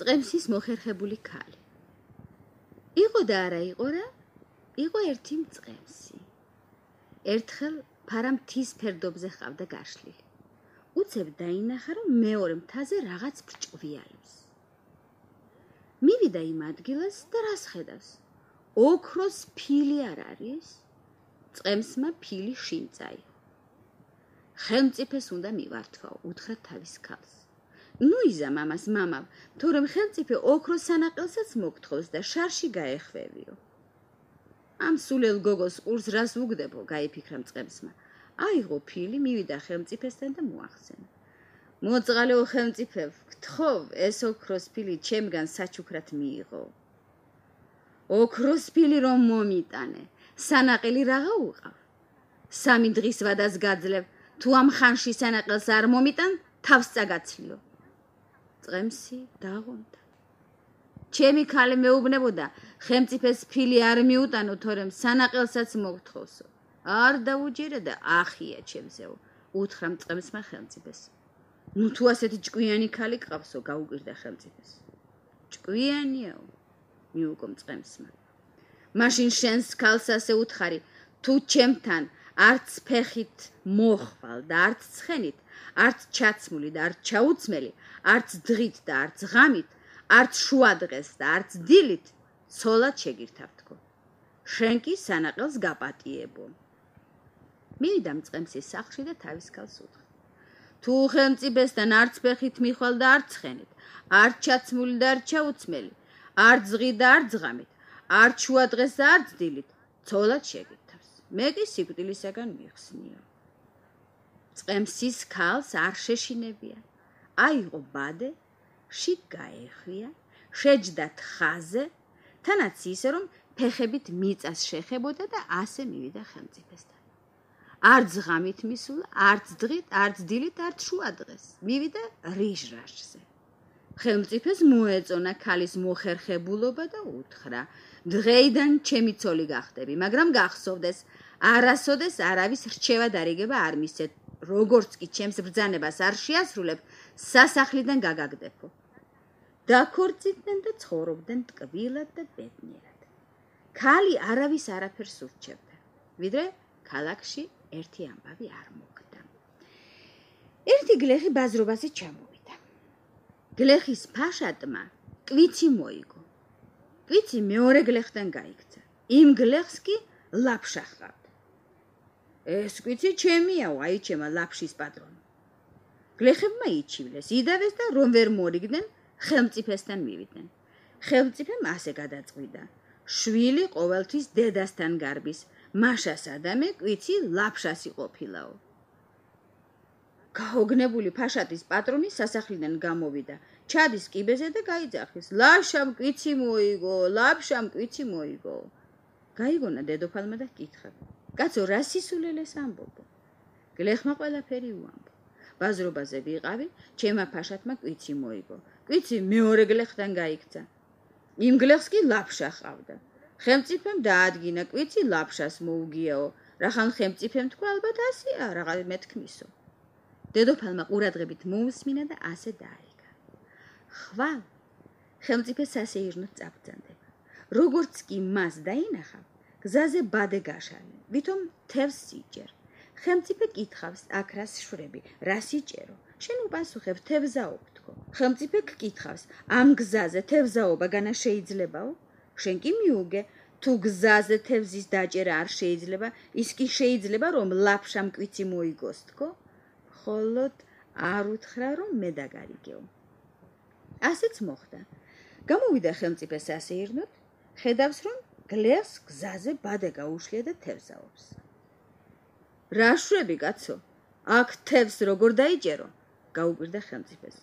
წემსის მოხერხებული ქალი. იყო და არა იყო რა, იყო ერთი მწყემსი. ერთხელ ფარა მთის ფერდობზე ყავდა გაშლილი. უცებ დაინახა, რომ მეორე მთაზე რაღაც ბრჭყვიალებს. მივიდა იმ ადგილას და რას ხედავს? ოქროს ფილი არ არის? წემსმა ფილი შინ წაიღო. ხელმწიფეს უნდა მივართვაო, უთხრა თავის ქალს. ნუ იზა მამას მამავ, თორემ ხელმწიფე ოქროს სანაყელსაც მოგთხოვს და შარში გაეხვევიო. ამ სულელ გოგოს ყურს რას უგდებო, გაიფიქრა მწყემსმა. აიღო ფილი, მივიდა ხელმწიფესთან და მოახსენა. მოწყალეო ხელმწიფევ, გთხოვ, ეს ოქროს ფილი ჩემგან საჩუქრად მიიღო. ოქროს ფილი რომ მომიტანე, სანაყელი რაღა უყავ. 3 დღის ვადას გაძლევ, თუ ამ ხანში სანაყელს არ მომიტან, თავს წაგაცლიო. წემსი დაღონდა. ჩემი ქალი მეუბნებოდა, ხელმწიფეს ფილი არ მიუტანო, თორემ სანაყელსაც მოგთხოვსო. არ დაუჯერე და ახია ჩემსეო, უთხრა მწყემსმა ხელმწიფეს. ნუ თუ ასეთი ჭკვიანი ქალი გყავსო, გაუკვირდა ხელმწიფეს. ჭკვიანიაო, მიუგო მწყემსმა. მაშინ შენს ქალს ასე უთხარი, თუ ჩემთან არც ფეხით მოხვალ და არც ცხენით, არც ჩაცმული და არც ჩაუცმელი, არც დღით და არც ღამით, არც შუადღეს და არც დილით, ცოლად შეგირთავთქო. შენ კი სანაყელს გაპატიებო. მივიდა მწყემსის სახლში და თავის ქალს უთხრა. თუ ხელმწიფესთან არც ფეხით მიხვალ და არც ცხენით, არც ჩაცმული და არც ჩაუცმელი, არც დღით და არც ღამით, არც შუადღეს და არც დილით, ცოლად შეგირთავს. მე კი სიკვდილისაგან მიხსნიო. მწყემსის ქალს არ შეშინებია. აიღო ბადე, შიგ გაეხვია, შეჯდა თხაზე, თანაც ისე რომ ფეხებით მიწას შეხებოდა და ასე მივიდა ხელმწიფესთან. არც ღამით მისულა, არც დღით, არც დილით, არც შუადღეს. მივიდა რიჟრაშზე. ხელმწიფეს მოეწონა ქალის მოხერხებულობა და უთხრა: დღეიდან ჩემი ცოლი გახდები, მაგრამ გახსოვდეს, არასოდეს არავის რჩევა დარიგება არ მისცეთ, როგორც კი ჩემს ბრძანებას არ შეასრულებ, სასახლიდან გაგაგდებო. დაქორწინდნენ და ცხოვრობდნენ ტკბილად და ბედნიერად. ქალი არავის არაფერს ურჩევდა, ვიდრე ქალაქში ერთი ამბავი არ მოხდა. ერთი გლეხი ბაზრობაზე ჩამოვიდა. გლეხის ფაშატმა კვიცი მოიგო. კვიცი მეორე გლეხთან გაიქცა. იმ გლეხს კი ლაფშა ჰყავდა. ეს კვიცი ჩემიაო, აიჩემა ლაფშის პატრონო. გლეხებმა იჩივლეს, იდავეს და რომ ვერ მორიგდნენ, ხელმწიფესთან მივიდნენ. ხელმწიფემ ასე გადაწყვიტა: შვილი ყოველთვის დედასთან გარბის, მაშას ადამე კვიცი ლაფშას იყოფილაო. გაოგნებული ფაშატის პატრონი სასახლიდან გამოვიდა, ჩადის კიბეზე და გაიძახის: ლაშამ კვიცი მოიგო, ლაფშამ კვიცი მოიგო. გაიგონა დედოფალმა და კითხა: კაცო, რა სისულელეს ამბობო? გლეხმა ყველაფერი უამბო. ბაზრობაზე ვიყავი, ჩემა ფაშატმა კვიცი მოიგო. კვიცი მეორე გლეხთან გაიქცა. იმ გლეხს კი ლაფშა ჰყავდა. ხელმწიფემ დაადგინა, კვიცი ლაფშას მოუგიაო. რახან ხელმწიფემ თქვა, ალბათ ასეა, რაღა მეთქმისო. დედოფალმა ყურადღებით მოусმინა და ასე დააიგა. ხვალ ხელმწიფე სასეირნოდ წაბრძანდება. როგორც კი მას დაინახა, გზაზე ბადე გაშალე, ვითომ თევზს სიჭერ. ხელმწიფე კითხავს, აქ რას შვრები, რა სიჭერო? შენ უპასუხებ, თევზაობ თქო. ხელმწიფე გკითხავს, ამ გზაზე თევზაობა განა შეიძლებაო? შენ კი მიუგე, თუ გზაზე თევზის დაჭერა არ შეიძლება, ის კი შეიძლება, რომ ლაფშამ კვიცი მოიგოს თქო? ხოლოდ არ უთხრა, რომ მე დაგარიგეო. ასეც მოხდა. გამოვიდა ხელმწიფე სასეირნოდ, ხედავს, რომ გლეხს გზაზე ბადე გაუშლია და თევზაობს. რა შვები, კაცო? აქ თევზს როგორ დაიჭერო? გაუკვირდა ხელმწიფეს.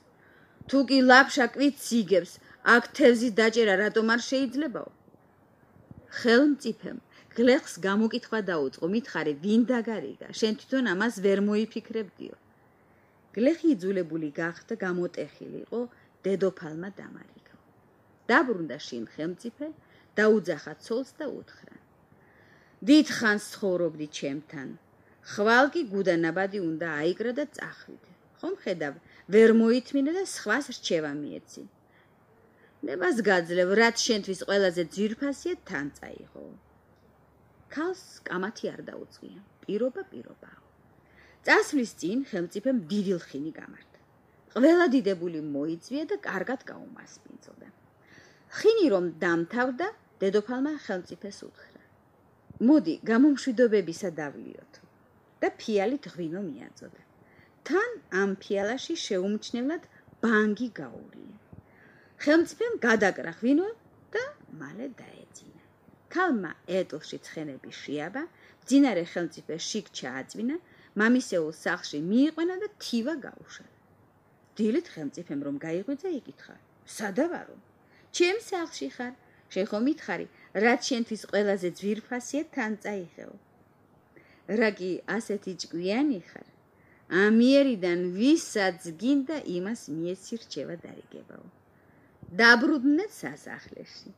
თუ კი ლაფშა კვიცს იგებს, აქ თევზის დაჭერა რატომ არ შეიძლებაო? ხელმწიფემ გლეხს გამოკითხვა დაუწყო, მითხარი, ვინ დაგარიგა? შენ თვითონ ამას ვერ მოიფიქრებდიო. გლეხი იძულებული გახდა, გამოტეხილი იყო, დედოფალმა დამარიგა. დაბრუნდა შინ ხელმწიფე, დაუძახა ცოლს და უთხრა: დიდხანს ცხოვრობდი ჩემთან. ხვალ კი გუდანაბადი უნდა აიკრა და წახვიდე. ხომ ხედავ, ვერ მოითმინე და სხვას რჩევა მიეცი. ნებას გაძლევ, რაც შენთვის ყველაზე ძვირფასია თან წაიღო. ქალს კამათი არ დაუწია, პირობაა. წასვლის წინ ხელმწიფემ დიდი ლხინი გამართა. ყველა დიდებული მოიწვია და კარგად გაუმასპინძლა. ლხინი რომ დამთავრდა, დედოფალმა ხელმწიფეს უთხრა: მოდი, გამომშვიდობებისა დავლიოთ და ფიალით ღვინო მიაწოდა. თან ამ ფიალაში შეუმჩნევლად ბანგი გაურია. ხელმწიფემ გადაკრა ღვინო და მალე დაეძინა. ქალმა ეტლში ცხენები შეაბა, მძინარე ხელმწიფეს შიგ ჩააწვინა, მამისეულ სახლში მიიყვანა და თივა გაუშალა. დილით ხელმწიფემ რომ გაიღვიძა, იკითხა: სადა ვარო? ჩემ სახლში ხარ, შენ ხომ მითხარი, რაც შენთვის ყველაზე ძვირფასია თან წაიღეო. რა კი ასეთი ჭკვიანი ხარ? ამიერიდან ვისაც გინდა იმას მიეცი რჩევა დარიგებაო. დაბრუნდნენ სასახლეში.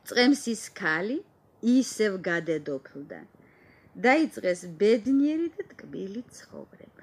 წყემსის ქალი ისევ გადედოფლდა. დაიწყეს ბედნიერი და ტკბილი ცხოვრება.